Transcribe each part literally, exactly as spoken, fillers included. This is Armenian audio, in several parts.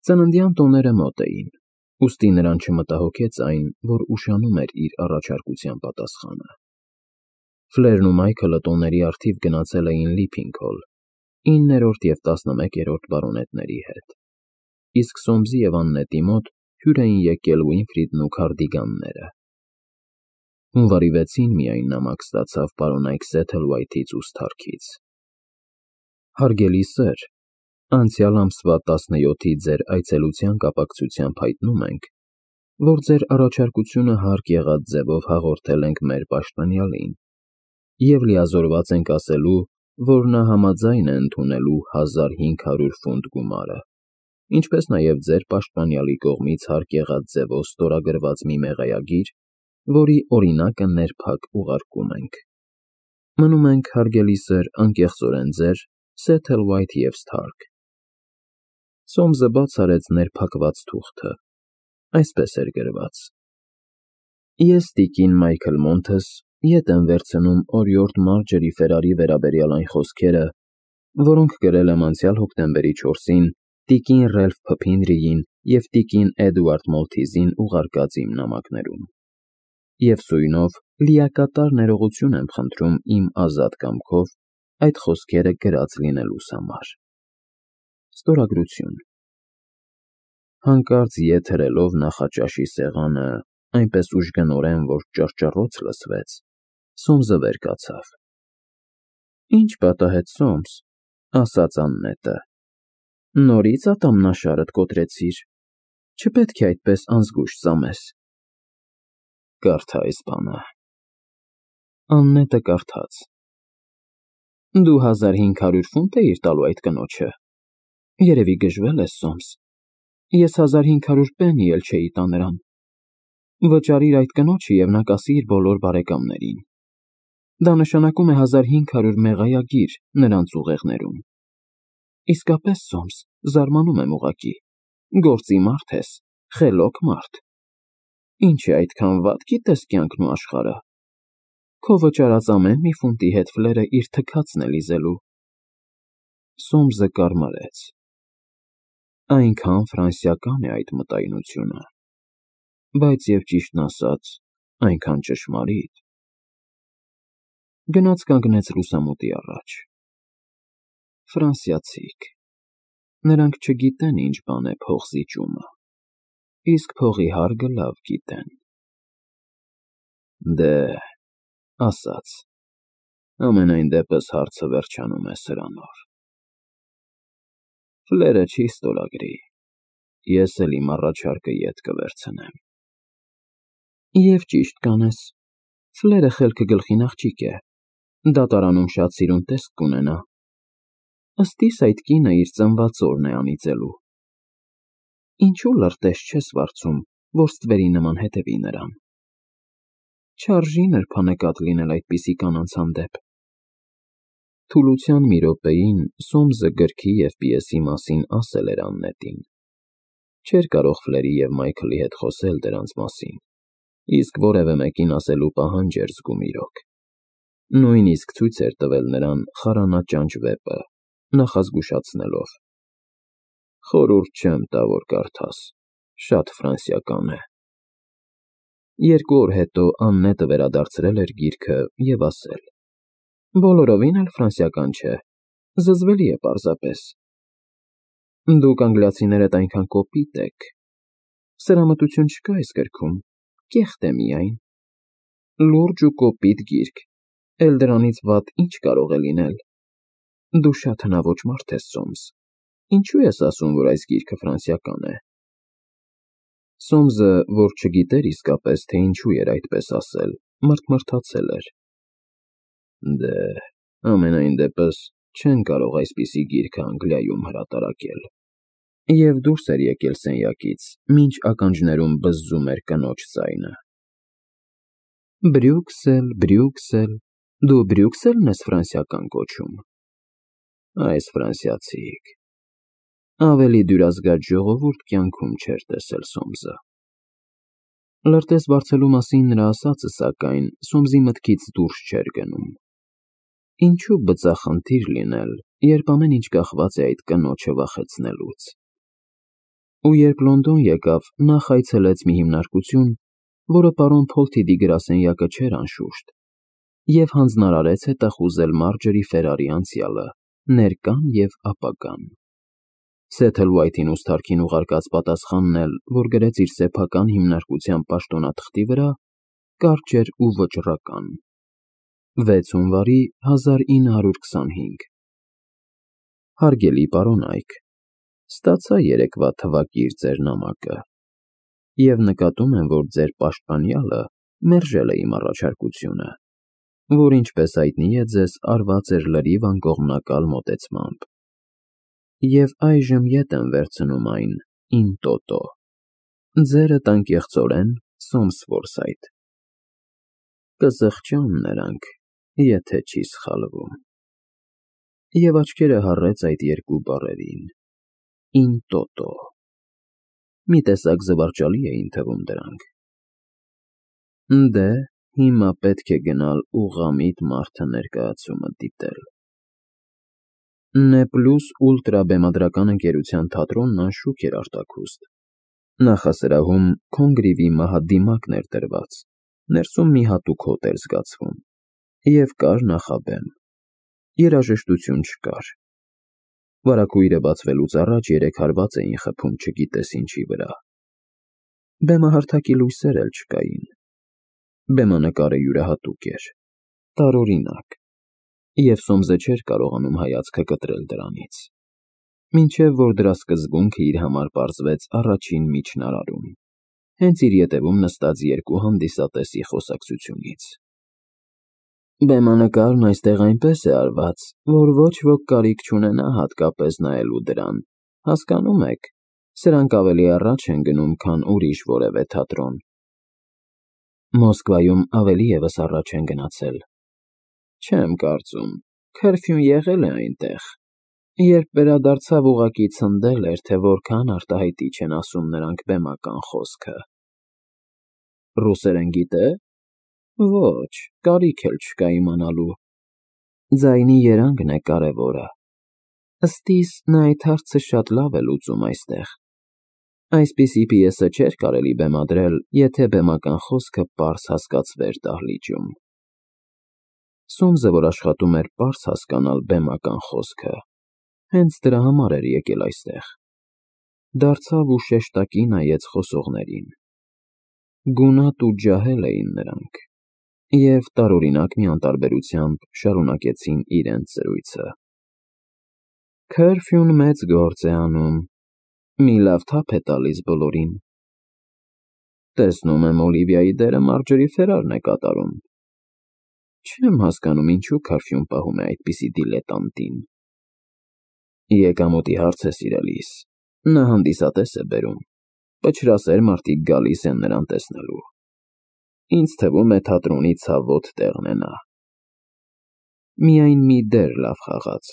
Ծննդյան տոները մոտ էին, ուստի նրան չմտահոգեց այն, որ ուշանում էր իր առաջարկության պատասխանը։ Ֆլերն ու Մայքլը տոների առթիվ գնացել էին Լիփինգհոլ, իններորդ և տասնմեկերորդ բարոնետների հետ, իսկ Սոմսի և Աննետի մոտ հյուր էին եկել Ուինֆրիդն ու Քարդիգանները։ Հունվարի վեցին միայն նամակ ստացավ պարոնայք Սեթլվայթից ու Սթարքից. Հարգելի սըր, անցյալ ամսվա տասնյոթի ձեր այցելության կապակցությամբ հայտնում ենք, որ ձեր առաջարկությունը հարկ եղած ձևով հաղորդել ենք մեր պաշտպանյալին և լիազորված ենք ասելու, որ նա համաձայն է ընդունելու հազար հինգ հարյուր ֆունտ գումարը, ինչպես նաև ձեր պաշտպանյալի կողմից հարկ եղած ձևով ստորագրված մի մեղայագիր, որի օրինակը ներփակ ուղարկում ենք։ Մնում ենք, հարգելի սըր, անկեղծորեն ձեր Սեթլվայթ և Սթարք։ Սոմսը բաց արեց ներփակված թուղթը, այսպես էր գրված. Ես տիկին Մայքլ Մոնթս ետ եմ վերցնում օրիորդ Մարջերի Ֆերարի վերաբերյալ այն խոսքերը, որոնք գրել եմ անցյալ հոկտեմբերի չորսին տիկին Ռելֆ Փփինրիին և տիկին Էդուարդ Մոլթիզին ուղարկած իմ նամակներում, և սույնով լիակատար ներողություն եմ խնդրում իմ ազատ կամքով այդ խոսքերը գրած լինելուս համար։ Ստորագրություն։ Հանկարծ ետ հրելով նախաճաշի սեղանը այնպես ուժգնորեն, որ ճռճռոց լսվեց, Սոմսը վեր կացավ։ Ինչ պատահեց, Սոմս, ասաց Աննետը, նորի՞ց ատամնաշարդ կոտրեցիր, չպետք է այդպես անզգույշ ծամես։ Կարդա այս բանը։ Աննետը կարդաց. Դու հազար հինգ հարյուր ֆունտ էիր տալու այդ կնոջը, երևի գժվել ես, Սոմս, ես հազար հինգ հարյուր պեննի էլ չէի տա նրան, վճարիր այդ կնոջը և նա կասի իր բոլոր բարեկամներին, դա նշանակում է հազար հինգ հարյուր մեղայագիր նրանց ուղեղներում։ Իսկապես, Սոմս, զարմանում եմ ուղղակի, գործի մարդ ես, խելոք մարդ, ինչ է այդքան վատ գիտես կյանքն ու աշխարհը, քո վճարած ամեն մի ֆունտի հետ Ֆլերը իր թքածն է լիզելու։ Սոմսը կարմարեց, այնքան ֆրանսիական է այդ մտայնությունը, բայց և ճիշտն ասած, այնքան ճշմարիտ։ Գնաց կանգնեց լուսամուտի առաջ։ Ֆրանսիացիք, նրանք չգիտեն ինչ բան է փողզիջումը, իսկ փողի հարգը լավ գիտեն։ Դե, ասած, ամենայն դեպս հարցը վերջանում է սրանով. Ֆլերը չի ստորագրի, ես էլ իմ առաջարկը ետ կվերցնեմ։ Եվ ճիշտ կանես, Ֆլերը խելքը գլխին աղջիկ է, դատարանում շատ սիրուն տեսք կունենա, ըստ իս այդ կինը իր ծնված օրն է անիծելու։ Ինչու լրտես չես վարձում, որ ստվերի նման հետևի նրան։ Չարժի նրբանկատ լինել այդպիսի կանանց հանդեպ։ Թուլության մի րոպեին Սոմսը գրքի և պիեսի մասին ասել էր Աննետին, չէր կարող Ֆլերի և Մայքլի հետ խոսել դրանց մասին, իսկ որևէ մեկին ասելու պահանջ էր զգում իրոք, նույնիսկ ցույց էր տվել նրան խարանաճանճ վեպը, նախազգուշացնելով. Խորհուրդ չեմ տա, որ կարդաս, շատ ֆրանսիական է։ Երկու օր հետո Աննետը վերադարձրել էր գիրքը և ասել. Բոլորովին էլ ֆրանսիական չէ, զզվելի է պարզապես։ Դուք անգլիացիներդ այնքան կոպիտ եք, սրամտություն չկա այս գրքում, կեղտ է միայն։ Լուրջ ու կոպիտ գիրք, էլ դրանից վատ ինչ կարող է լինել։ Դու շատ հնաոճ մարդ ես, Սոմս, ինչու ես ասում, որ այս գիրքը ֆրանսիական է։ Սոմսը, որ չգիտեր իսկապես, թե ինչու էր այդպես ասել, մռթմռթացել էր։ Դե, ամենայն դեպս չեն կարող այսպիսի գիրքը Անգլիայում հրատարակել։ Եվ դուրս էր եկել սենյակից, մինչ ականջներում բզզում էր կնոջ ձայնը. Բրյուցել, Բրյուցել, դու Բրյուցելն ես ֆրանսիական կոչում։ Այս ֆրանսիացիք։ Ավելի դյուրազգաց ժողովուրդ կյանքում չէր տեսել Սոմսը։ Լրտես վարձելու մասին նրա ասածը, սակայն, Սոմսի մտքից դուրս չէր գնում։ Ինչու բծախնդիր լինել, երբ ամեն ինչ կախված է այդ կնոջը վախեցնելուց։ ու երբ Լոնդոն եկավ, նախ այցելեց մի հիմնարկություն, որը պարոն Փոլթիդի գրասենյակը չէր անշուշտ, և հանձնարարեց հետախուզել Մարջորի Ֆերարի անցյալը, ներկան և ապագան։ Սեթլվայթին ու Սթարքին ուղարկած պատասխանն էլ, որ գրեց իր սեփական հիմնարկության պաշտոնաթղթի վրա, կարճ էր ու վճռական. վեց հունվարի հազար ինը հարյուր քսանհինգ Հարգելի պարոն Այք, ստացա երեկվա թվակիր ձեր նամակը, և նկատում եմ, որ ձեր պաշտպանյալը մերժել է իմ առաջարկությունը, որ, ինչպես հայտնի է ձեզ, արված էր լրիվ անկողմնակալ մոտեցմամբ, և այժմ ետ եմ վերցնում այն in toto, ձերդ անկեղծորեն Սոմսվորսայթ։ Կզղջան նրանք, եթե չի սխալվում։ Եվ աչքերը հառեց այդ երկու բառերին. in toto։ Մի տեսակ զվարճալի էին թվում դրանք։ Դե, հիմա պետք է գնալ ուղղամիտ մարդը ներկայացումը դիտել։ Նե Պլյուս ուլտրա բեմադրական ընկերության թատրոնն անշուք էր արտաքուստ։ Նախասրահում Քոնգրիվի մահադիմակն էր դրված, ներսում մի հատուկ հոտ էր զգացվում, և կար նախաբեմ։ Երաժշտություն չկար։ Վարագույրը բացվելուց առաջ երեք հարված էին խփում չգիտես ինչի վրա։ Բեմահարթակի լույսեր էլ չկային։ Բեմանկարը յուրահատուկ էր, տարօրինակ, և Սոմսը չէր կարողանում հայացքը կտրել դրանից, մինչև որ դրա սկզբունքը իր համար պարզվեց առաջին միջնարարում, հենց իր ետևում նստած երկու հանդիսատեսի խոսակցությունից։ Բեմանկարն այստեղ այնպես է արված, որ ոչ ոք կարիք չունենա հատկապես նայելու դրան, հասկանո՞ւմ եք, սրանք ավելի առաջ են գնում, քան ուրիշ որևէ թատրոն։ Մոսկվայում ավելի ևս առաջ են գնացել։ Չեմ կարծում, քըրֆյուն եղել է այնտեղ, երբ վերադարձավ ուղղակի ցնդել էր, թե որքան արտահայտիչ են ասում նրանք բեմական խոսքը։ Ռուսերեն գիտե՞։ Ոչ, կարիք էլ չկա իմանալու։ Ձայնի երանգն է կարևորը։ Ըստ իս, նա այդ հարցը շատ լավ է լուծում այստեղ։ Այսպիսի պիեսը չէր կարելի բեմադրել, եթե բեմական խոսքը պարզ հասկացվեր դահլիճում։ Սոմսը, որ աշխատում էր պարզ հասկանալ բեմական խոսքը, հենց դրա համար էր եկել այստեղ։ Դարձավ ու շեշտակի նայեց խոսողներին։ Գունատ ու ջահել էին նրանք, և տարօրինակ մի անտարբերությամբ շարունակեցին իրենց զրույցը։ Քըրֆյուն մեծ գործ է անում, մի լավ թափ է տալիս բոլորին։ Տեսնում եմ, Օլիվիայի դերը Մարջորի Ֆերարն է կատարում։ Չեմ հասկանում, ինչու Քըրֆյուն պահում է այդպիսի դիլետանտին։ Եկամուտի հարց է, սիրելիս, նա հանդիսատես է բերում, պչրասեր մարդիկ գալիս են նրան տեսնելու։ Ինձ թվում է թատրոնի ցավոտ տեղն է նա։ Միայն մի դեր լավ խաղաց,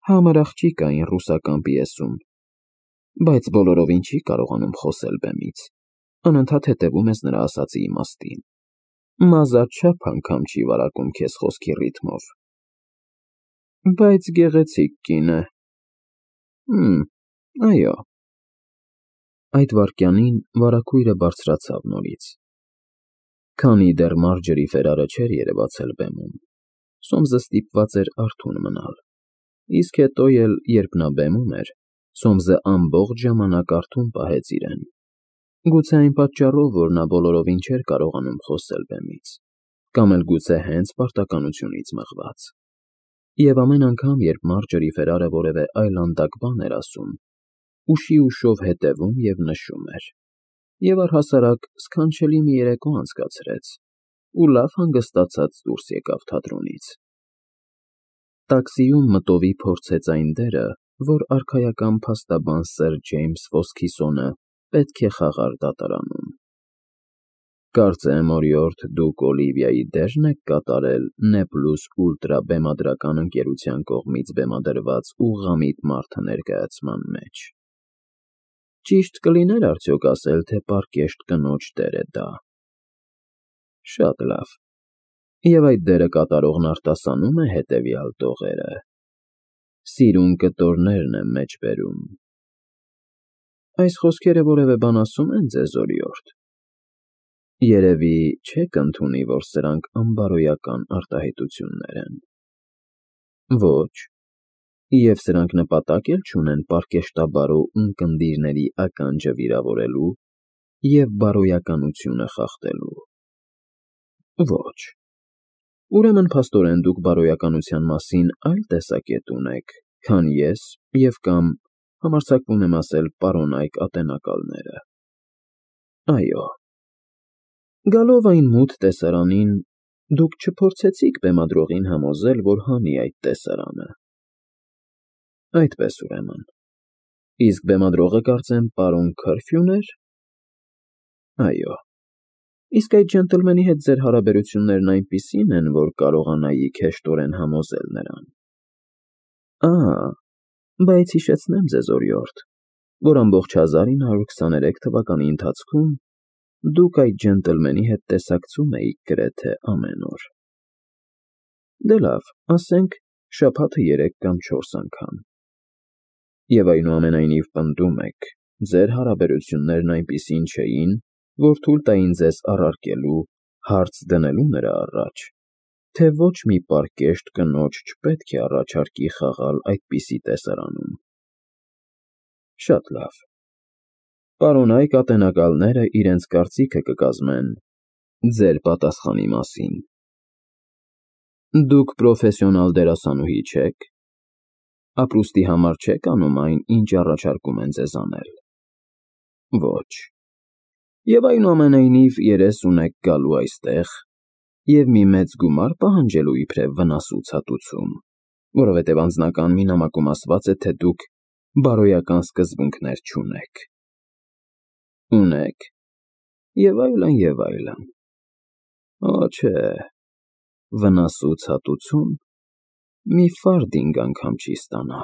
համր աղջիկ այն ռուսական պիեսում, բայց բոլորովին չի կարողանում խոսել բեմից, անընդհատ հետևում ես նրա ասածի իմաստին, մազաչափ անգամ չի վարակում քեզ խոսքի ռիթմով։ Բայց գեղեցիկ կին է։ Հըմ, այո։ Այդ վայրկյանին վարագույրը բարձրացավ նորից։ Քանի դեռ Մարջորի Ֆերարը չէր երևացել բեմում, Սոմսը ստիպված էր արթուն մնալ, իսկ հետո էլ, երբ նա բեմում էր, Սոմսը ամբողջ ժամանակ արթուն պահեց իրեն, գուցե այն պատճառով, որ նա բոլորովին չէր կարողանում խոսել բեմից, կամ էլ գուցե հենց պարտականությունից մղված։ Եվ ամեն անգամ, երբ Մարջորի Ֆերարը որևէ այլանդակ բան էր ասում, ուշի ուշով հետևում և նշում էր, և առհասարակ սքանչելի մի երեկո անցկացրեց ու լավ հանգստացած դուրս եկավ թատրոնից։ Տաքսիում մտովի փորձեց այն դերը, որ արքայական փաստաբան սըր Ջեյմս Ֆոսքիսոնը պետք է խաղար դատարանում։ Կարծեմ, օրիորդ, դուք Օլիվիայի դե՞ռն եք կատարել Նե Պլյուս ուլտրա բեմադրական ընկերության կողմից բեմադրված ուղղամիտ մարդը ներկայացման մեջ։ Ճիշտ կլիներ արդյոք ասել, թե պարկեշտ կնոջ դեր է դա։ Շատ լավ։ Եվ այդ դերը կատարողն արտասանո՞ւմ է հետևյալ տողերը. Սիրուն կտորներն եմ մեջ բերում։ Այս խոսքերը որևէ բան ասում են ձեզ, օրիորդ։ Երևի չեք ընդունի, որ սրանք անբարոյական արտահայտություններ են։ Ոչ, և սրանք նպատակ էլ չունեն պարկեշտաբարո ունկնդիրների ականջը վիրավորելու և բարոյականությունը խախտելու։ Ոչ։ Ուրեմն փաստորեն դուք բարոյականության մասին այլ տեսակետ ունեք, քան ես և կամ, համարձակվում եմ ասել, պարոնայք ատենակալները։ Այո։ Գալով այն մութ տեսարանին, դուք չփորձեցիք բեմադրողին համոզել, որ հանի այդ տեսարանը։ Այդպես, ուրեմն, իսկ բեմադրողը, կարծեմ, պարոն Քըրֆյուն էր։ Այո։ Իսկ այդ ջենտլմենի հետ ձեր հարաբերություններն այնպիսի՞ն են, որ կարողանայիք հեշտորեն համոզել նրան։ Ա՜, բայց հիշեցնեմ ձեզ, օրիորդ, որ ամբողջ հազար ինը հարյուր քսաներեք թվականի ընթացքում դուք այդ ջենտլմենի հետ տեսակցում էիք գրեթե ամեն օր։ Դե լավ, ասենք, շաբաթը երեք կամ չորս անգամ։ Եվ այնուամենայնիվ պնդում եք, ձեր հարաբերություններն այնպիսին չէին, որ թույլ տային ձեզ առարկելու, հարց դնելու նրա առաջ, թե ոչ մի պարկեշտ կնոջ չպետք է առաջարկի խաղալ այդպիսի տեսարանում։ Շատ լավ։ Պարոնայք ատենակալները իրենց կարծիքը կկազմեն ձեր պատասխանի մասին։ Դուք պրոֆեսիոնալ դերասանուհի չեք։ Ապրուստի համար չեք անում այն, ինչ առաջարկում են ձեզ անել։ Ոչ։ Եվ այնուամենայնիվ երես ունեք գալու այստեղ և մի մեծ գումար պահանջելու իբրև վնասուցածություն, որովհետև անձնական մի նամակում ասված է, թե դուք բարոյական սկզբունքներ չունեք։ Ունեք, և այլն, և այլն։ Օ, չէ, վնասուցածություն մի ֆարդինգ անգամ չի ստանա։